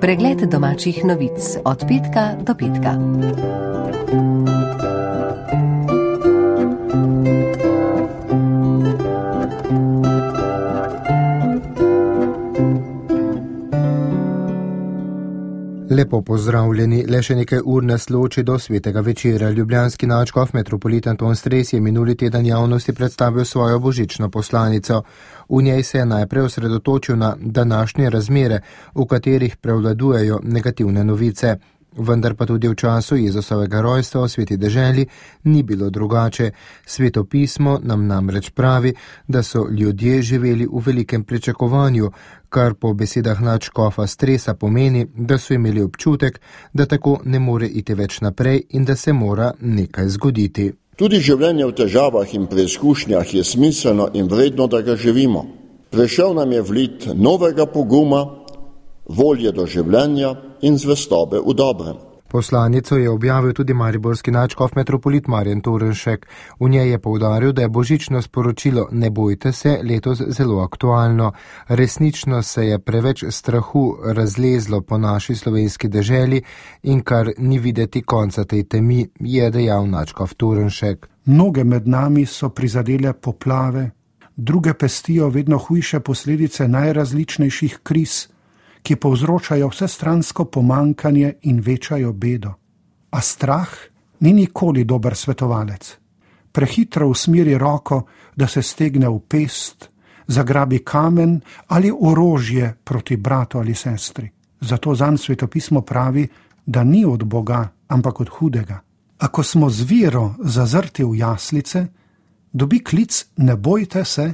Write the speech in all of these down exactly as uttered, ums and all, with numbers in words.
Pregled domačih novic od petka do petka. Lepo pozdravljeni, le še nekaj ur nas loči do svetega večera. Ljubljanski nadškof metropolit Anton Stres je minuli teden javnosti predstavil svojo božično poslanico. V njej se je najprej osredotočil na današnje razmere, v katerih prevladujejo negativne novice. Vendar pa tudi v času Jezusovega rojstva v sveti deželi ni bilo drugače. Sveto pismo nam namreč pravi, da so ljudje živeli v velikem pričakovanju, kar po besedah nadškofa Stresa pomeni, da so imeli občutek, da tako ne more iti več naprej in da se mora nekaj zgoditi. Tudi življenje v težavah in preizkušnjah je smiselno in vredno, da ga živimo. Prišel nam je vlit novega poguma, volje do življenja in zvestobe v dobrem. Poslanico je objavil tudi mariborski nadškof metropolit Marjan Torenšek. V njej je poudaril, da je božično sporočilo "Ne bojte se" letos zelo aktualno. Resnično se je preveč strahu razlezlo po naši slovenski deželi in kar ni videti konca tej temi, je dejal nadškof Torenšek. Mnoge med nami so prizadele poplave, druge pestijo vedno hujše posledice najrazličnejših kriz, ki povzročajo vsestransko pomankanje in večajo bedo. A strah ni nikoli dober svetovalec. Prehitro usmeri roko, da se stegne v pest, zagrabi kamen ali orožje proti bratu ali sestri. Zato zanj svetopismo pravi, da ni od Boga, ampak od hudega. Ako smo z vero zazrti v jaslice, dobi klic "Ne bojte se"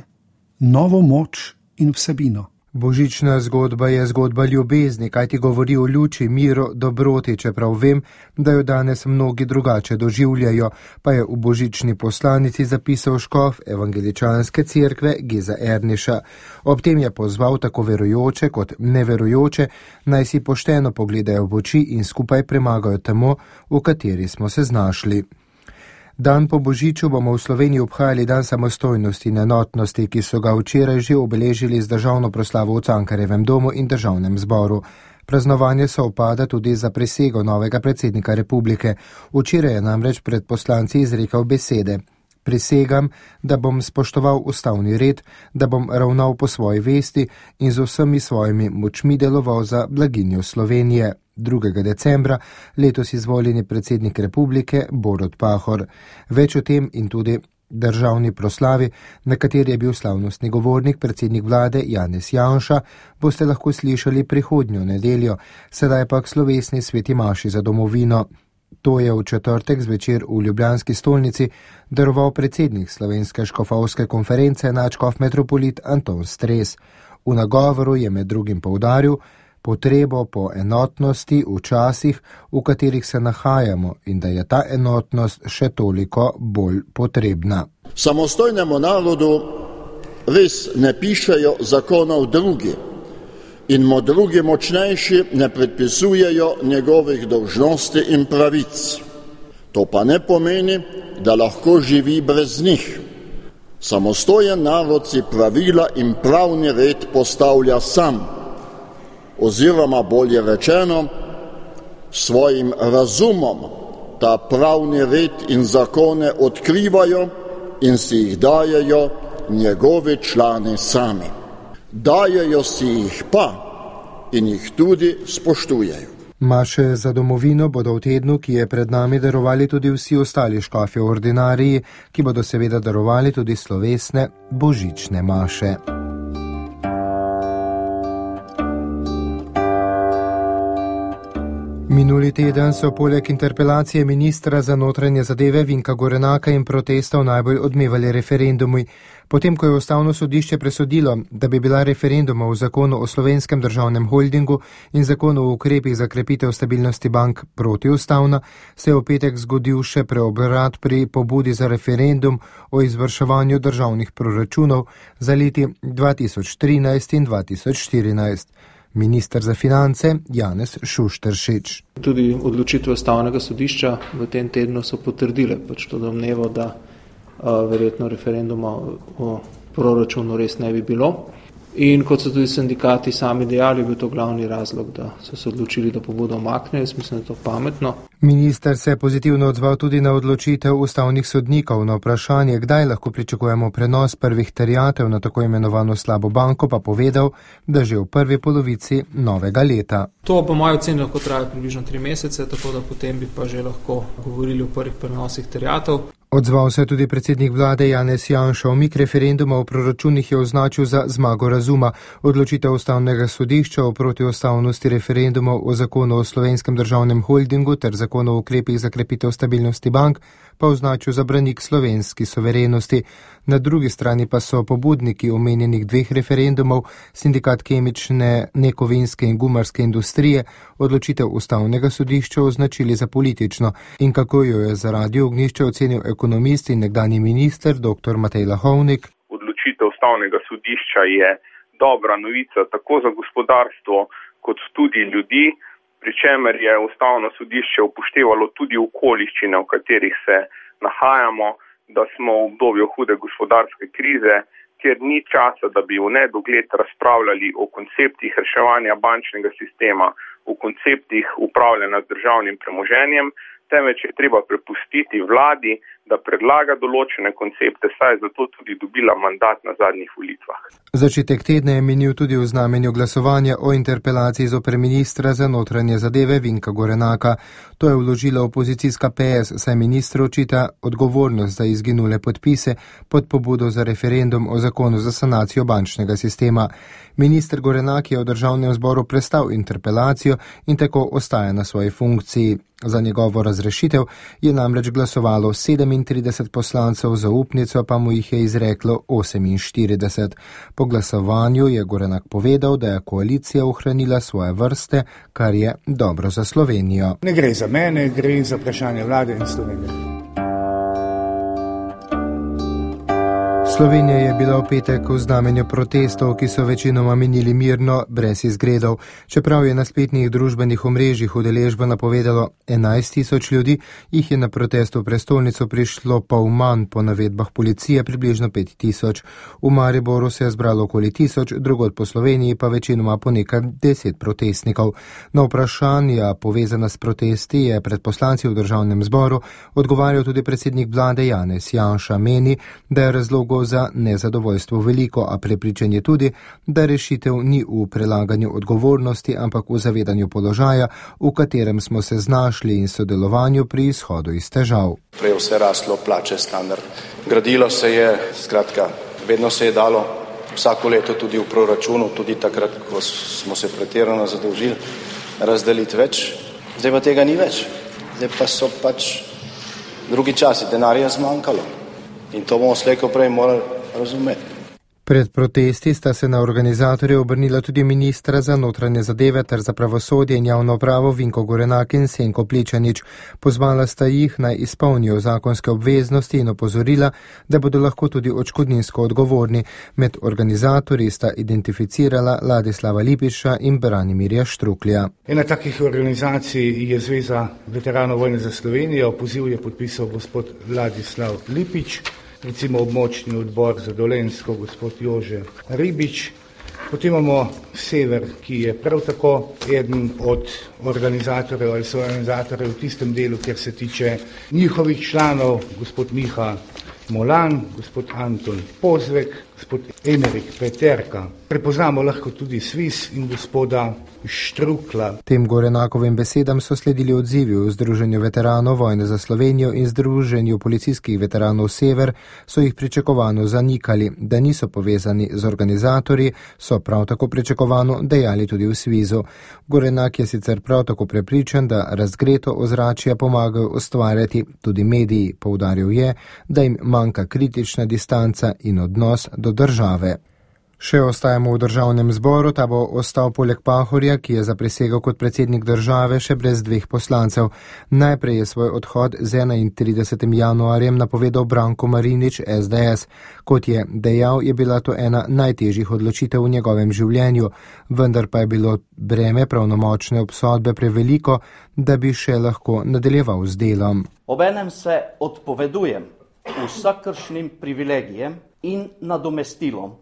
novo moč in vsebino. Božična zgodba je zgodba ljubezni, kaj ti govori o luči, miru, dobroti, čeprav vem, da jo danes mnogi drugače doživljajo, pa je v božični poslanici zapisal škof evangeličanske cerkve Geza Erniša. Ob tem je pozval tako verujoče kot neverujoče, naj si pošteno pogledajo v oči in skupaj premagajo temo, v kateri smo se znašli. Dan po božiču bomo v Sloveniji obhajali dan samostojnosti in enotnosti, ki so ga včeraj že obeležili z državno proslavo v Cankarjevem domu in državnem zboru. Praznovanje se opada tudi za prisego novega predsednika republike. Včeraj je namreč pred poslanci izrekel besede: "Prisegam, da bom spoštoval ustavni red, da bom ravnal po svoji vesti in z vsemi svojimi močmi deloval za blaginjo Slovenije." drugega decembra letos izvoljeni predsednik republike Borut Pahor. Več o tem in tudi državni proslavi, na kateri je bil slavnostni govornik predsednik vlade Janez Janša, boste lahko slišali prihodnjo nedeljo, sedaj pa k slovesni sveti maši za domovino. To je v četrtek zvečer v ljubljanski stolnici daroval predsednik Slovenske škofovske konference nadškof metropolit Anton Stres. V nagovoru je med drugim poudaril potrebo po enotnosti v časih, v katerih se nahajamo, in da je ta enotnost še toliko bolj potrebna. Samostojnemu narodu res ne pišejo zakonov drugi in mu drugi močnejši ne predpisujejo njegovih dolžnosti in pravic. To pa ne pomeni, da lahko živi brez njih. Samostojen narod si pravila in pravni red postavlja sam, oziroma bolje rečeno, svojim razumom ta pravni red in zakone odkrivajo in si jih dajejo njegovi člani sami. Dajejo si jih pa in jih tudi spoštujejo. Maše za domovino bodo v tednu, ki je pred nami, darovali tudi vsi ostali škofje v ordinariji, ki bodo seveda darovali tudi slovesne božične maše. Minuli teden so poleg interpelacije ministra za notranje zadeve Vinka Gorenaka in protestov najbolj odmevali referendumi. Potem, ko je ustavno sodišče presodilo, da bi bila referenduma v zakonu o slovenskem državnem holdingu in zakonu o ukrepih za krepitev stabilnosti bank protiustavna, se je v petek zgodil še preobrat pri pobudi za referendum o izvrševanju državnih proračunov za leti dva tisoč trinajst in dva tisoč štirinajst. Minister za finance Janez Šušteršič. Tudi odločitve ustavnega sodišča v tem tednu so potrdile pač to domnevo, da a, verjetno referenduma o proračunu res ne bi bilo. In kot so tudi sindikati sami dejali, je bil to glavni razlog, da so se odločili, da pobudo umaknejo. Jaz mislim, da je to pametno. Minister se je pozitivno odzval tudi na odločitev ustavnih sodnikov. Na vprašanje, kdaj lahko pričakujemo prenos prvih terjatev na tako imenovano slabo banko, pa povedal, da že v prvi polovici novega leta. To po moji oceni lahko traja približno tri mesece, tako da potem bi pa že lahko govorili o prvih prenosih terjatev. Odzval se je tudi predsednik vlade Janez Janša. Umik referenduma o proračunih je označil za zmago razuma. Odločitev ustavnega sodišča o protiustavnosti referendumov o zakonu o Slovenskem državnem holdingu ter zakonu o ukrepih za krepitev stabilnosti bank pa označil za branik slovenski suverenosti. Na drugi strani pa so pobudniki omenjenih dveh referendumov, sindikat kemične, nekovinske in gumarske industrije, odločitev ustavnega sodišča označili za politično. In kako jo je za Radio Ognjišče ocenil ekonomist in nekdanji minister dr. Matej Lahovnik. Odločitev ustavnega sodišča je dobra novica tako za gospodarstvo kot tudi ljudi, pri čemer je ustavno sodišče upoštevalo tudi okoliščine, v katerih se nahajamo, da smo v obdobju hude gospodarske krize, kjer ni časa, da bi v nedogled razpravljali o konceptih reševanja bančnega sistema, o konceptih upravljanja z državnim premoženjem, temveč je treba prepustiti vladi, da predlaga določene koncepte, saj je zato tudi dobila mandat na zadnjih volitvah. Začetek tedna je minil tudi v znamenju glasovanja o interpelaciji zoper ministra za notranje zadeve Vinka Gorenaka. To je vložila opozicijska P S, saj ministru očita odgovornost za izginule podpise pod pobudo za referendum o zakonu za sanacijo bančnega sistema. Minister Gorenak je v državnem zboru prestal interpelacijo in tako ostaja na svoji funkciji. Za njegovo razrešitev je namreč glasovalo sedemintrideset poslancev, zaupnico pa mu jih je izreklo oseminštirideset. Po glasovanju je Gorenak povedal, da je koalicija ohranila svoje vrste, kar je dobro za Slovenijo. Ne gre za mene, gre za vprašanje vlade in Slovenije. Slovenija je bila v petek v znamenju protestov, ki so večinoma minili mirno, brez izgredov. Čeprav je na spletnih družbenih omrežjih udeležbo napovedalo enajst tisoč ljudi, jih je na protest v prestolnico prišlo pol manj, po navedbah policije približno pet tisoč. V Mariboru se je zbralo okoli tisoč, drugod po Sloveniji pa večinoma po nekaj deset protestnikov. Na vprašanja povezana s protesti je pred poslanci v državnem zboru odgovarjal tudi predsednik vlade Janez Janša. Meni, da je razlogov za nezadovoljstvo veliko, a prepričan je tudi, da rešitev ni v prelaganju odgovornosti, ampak v zavedanju položaja, v katerem smo se znašli in sodelovanju pri izhodu iz težav. Prej vse raslo, plače, standard. Gradilo se je, skratka, vedno se je dalo, vsako leto tudi v proračunu, tudi takrat, ko smo se pretirano zadolžili, razdeliti več. Zdaj pa tega ni več. Zdaj pa so pač drugi časi, denarja zmanjkalo. In to bomo slejko prej morali razumeti. Pred protesti sta se na organizatorje obrnila tudi ministra za notranje zadeve ter za pravosodje in javno pravo Vinko Gorenak in Senko Pličanič. Pozvala sta jih naj izpolnijo zakonske obveznosti in opozorila, da bodo lahko tudi odškodninsko odgovorni. Med organizatorji sta identificirala Ladislava Lipiša in Branimirja Štruklja. Ena takih organizacij je Zveza veteranov vojne za Slovenijo. Poziv je podpisal gospod Ladislav Lipič, recimo območni odbor za Dolenjsko, gospod Jože Ribič. Potem imamo Sever, ki je prav tako eden od organizatorjev ali so organizatorjev v tistem delu, kjer se tiče njihovih članov, gospod Miha Molan, gospod Anton Pozvek, gospod Emerik Peterka. Prepoznamo lahko tudi Svis in gospoda Štrukla. Tem Gorenakovim besedam so sledili odzivi v Združenju veteranov vojne za Slovenijo in Združenju policijskih veteranov Sever, so jih pričakovano zanikali, da niso povezani z organizatorji, so prav tako pričakovano dejali tudi v Svizu. Gorenak je sicer prav tako prepričan, da razgreto ozračje pomagajo ustvarjati tudi mediji. Poudaril je, da jim manjka kritična distanca in odnos do države. Še ostajamo v državnem zboru, ta bo ostal poleg Pahorja, ki je zaprisegel kot predsednik države, še brez dveh poslancev. Najprej je svoj odhod z enaintridesetim januarjem napovedal Branko Marinič, S D S. Kot je dejal, je bila to ena najtežjih odločitev v njegovem življenju, vendar pa je bilo breme pravnomočne obsodbe preveliko, da bi še lahko nadaljeval z delom. Obenem se odpovedujem vsakršnim privilegijem in nadomestilom,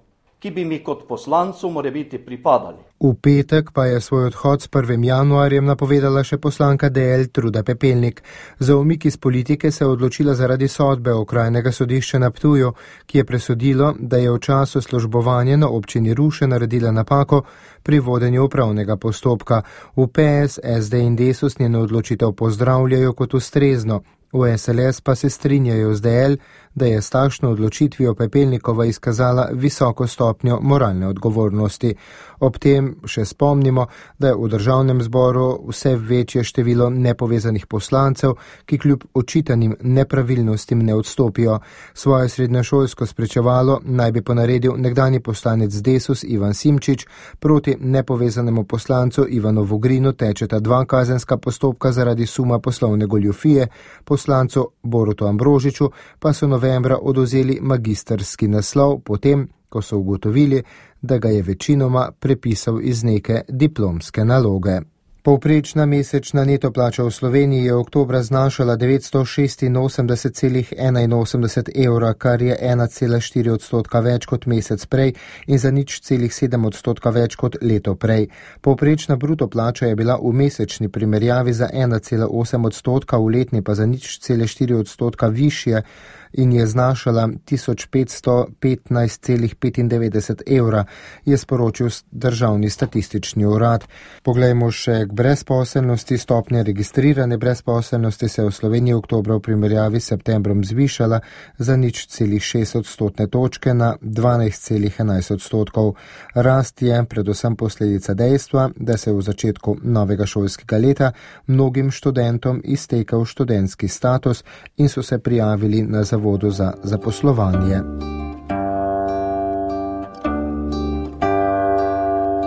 ki bi mi kot poslancu morebiti pripadali. V petek pa je svoj odhod s prvim januarjem napovedala še poslanka D L Truda Pepelnik. Za umik iz politike se je odločila zaradi sodbe okrajnega sodišča na Ptuju, ki je presodilo, da je v času službovanja na občini Ruše naredila napako pri vodenju upravnega postopka. V P S, S D in Desus njeno odločitev pozdravljajo kot ustrezno. V S L S pa se strinjajo z D L, da je s takšno odločitvijo Pepelnikova izkazala visoko stopnjo moralne odgovornosti. Ob tem še spomnimo, da je v državnem zboru vse večje število nepovezanih poslancev, ki kljub očitanim nepravilnostim ne odstopijo. Svoje srednješolsko spričevalo naj bi ponaredil nekdanji poslanec Desus Ivan Simčič, proti nepovezanemu poslancu Ivanu Vogrinu tečeta dva kazenska postopka zaradi suma poslovne goljufije, poslancu Borutu Ambrožiču pa so novembra odvzeli magistrski naslov, potem, ko so ugotovili, da ga je večinoma prepisal iz neke diplomske naloge. Povprečna mesečna neto plača v Sloveniji je oktobra znašala devetsto šestinosemdeset celih enainosemdeset evra, kar je ena cela štiri odstotka več kot mesec prej in za nič celih sedem odstotka več kot leto prej. Povprečna bruto plača je bila v mesečni primerjavi za ena cela osem odstotka, v letni pa za nič cele štiri odstotka višje in je znašala tisoč petsto petnajst celih petindevetdeset evra, je sporočil državni statistični urad. Poglejmo še k brezposelnosti. Stopnja registrirane brezposelnosti se je v Sloveniji oktobra v primerjavi s septembrom zvišala za nič celih šest odstotne točke na dvanajst celih enajst odstotkov. Rast je predvsem posledica dejstva, da se je v začetku novega šolskega leta mnogim študentom iztekel študentski status in so se prijavili na zavodu za zaposlovanje.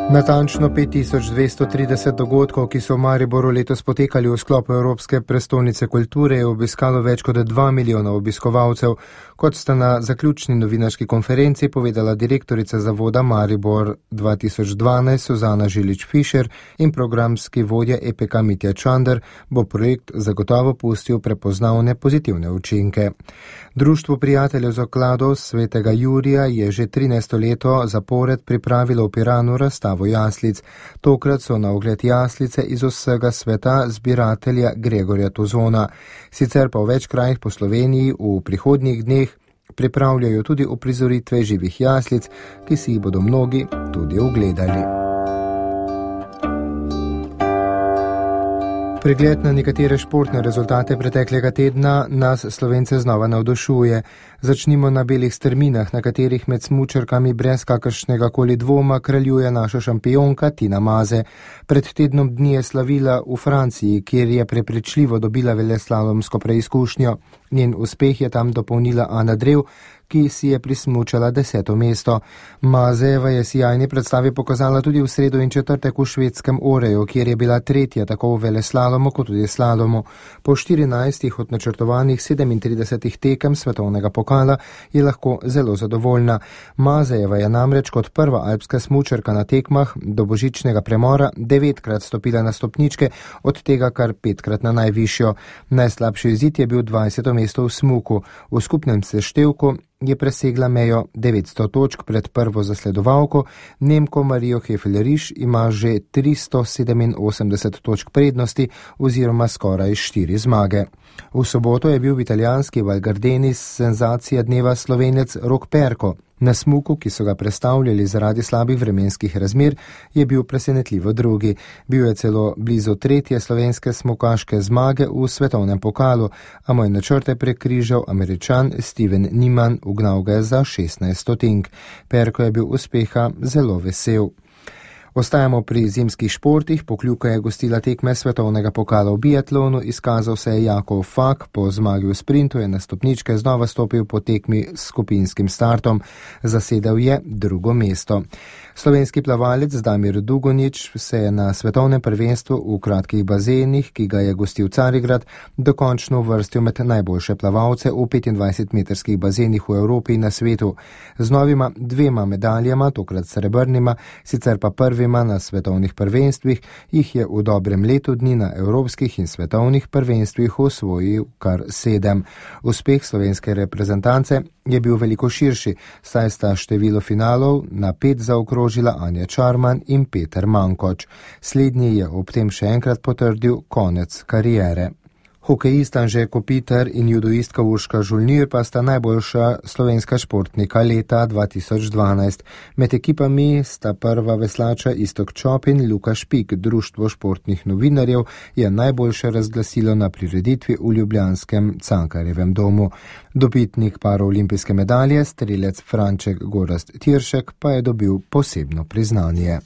Natančno pet tisoč dvesto trideset dogodkov, ki so v Mariboru letos potekali v sklopu Evropske prestolnice kulture, je obiskalo več kot dva milijona obiskovalcev, kot sta na zaključni novinarski konferenci povedala direktorica zavoda Maribor dva tisoč dvanajst Suzana Žilič-Fišer in programski vodja E P K Mitja Čander, bo projekt zagotovo pustil prepoznavne pozitivne učinke. Društvo prijateljev zakladov Svetega Jurija je že trinajsto leto zapored pripravilo v Piranu razstavo jaslic. Tokrat so na ogled jaslice iz vsega sveta zbiratelja Gregorja Tozona. Sicer pa v več krajih po Sloveniji v prihodnjih dneh pripravljajo tudi uprizoritve živih jaslic, ki si jih bodo mnogi tudi ogledali. Pregled na nekatere športne rezultate preteklega tedna nas Slovence znova navdušuje. Začnimo na belih strminah, na katerih med smučarkami brez kakršnega koli dvoma kraljuje naša šampionka Tina Maze. Pred tednom dni je slavila v Franciji, kjer je prepričljivo dobila veleslalomsko preizkušnjo. Njen uspeh je tam dopolnila Ana Drev, ki si je prismučala deseto mesto. Mazejeva je sijajni predstavi pokazala tudi v sredo in četrtek v švedskem Oreju, kjer je bila tretja tako v veleslalomu kot tudi slalomu. Po štirinajstih od načrtovanih sedemintridesetih tekem svetovnega pokala je lahko zelo zadovoljna. Mazejeva je namreč kot prva alpska smučarka na tekmah do božičnega premora devetkrat stopila na stopničke, od tega kar petkrat na najvišjo. Najslabši izid je bil dvajseto mesto v smuku. V skupnem seštevku je presegla mejo devetsto točk pred prvo zasledovalko, Nemko Marijo Hefel-Riš ima že tristo sedeminosemdeset točk prednosti oziroma skoraj štiri zmage. V soboto je bil v italijanski Val Gardeni senzacija dneva Slovenec Rok Perko. Na smuku, ki so ga prestavljali zaradi slabih vremenskih razmer, je bil presenetljivo drugi. Bil je celo blizu tretje slovenske smukaške zmage v svetovnem pokalu, a moj načrte prekrižal Američan Steven Niman, ugnal ga je za šestnajst stotink. Perko je bil uspeha zelo vesel. Ostajamo pri zimskih športih. Pokljuka je gostila tekme svetovnega pokala v biatlonu, izkazal se je Jakov Fak, po zmagi v sprintu je na stopničke znova stopil po tekmi s skupinskim startom. Zasedel je drugo mesto. Slovenski plavalec Damir Dugonjić se je na svetovnem prvenstvu v kratkih bazenih, ki ga je gostil Carigrad, dokončno uvrstil med najboljše plavalce v petindvajsetmetrskih bazenih v Evropi in na svetu. Z novima dvema medaljama, tokrat srebrnima, sicer pa prvima na svetovnih prvenstvih, jih je v dobrem letu dni na evropskih in svetovnih prvenstvih osvojil kar sedem. Uspeh slovenske reprezentance je bil veliko širši, saj sta število finalov na pet zaokrožila Anja Čarman in Peter Mankoč. Slednji je ob tem še enkrat potrdil konec kariere. Hokejist Anže Kopitar in judoistka Urška Žolnir pa sta najboljša slovenska športnika leta dva tisoč dvanajst. Med ekipami sta prva veslača Iztok Čop in Luka Špik. Društvo športnih novinarjev je najboljše razglasilo na prireditvi v ljubljanskem Cankarjevem domu. Dobitnik paraolimpijske medalje, strelec Franček Gorazd Tiršek, pa je dobil posebno priznanje.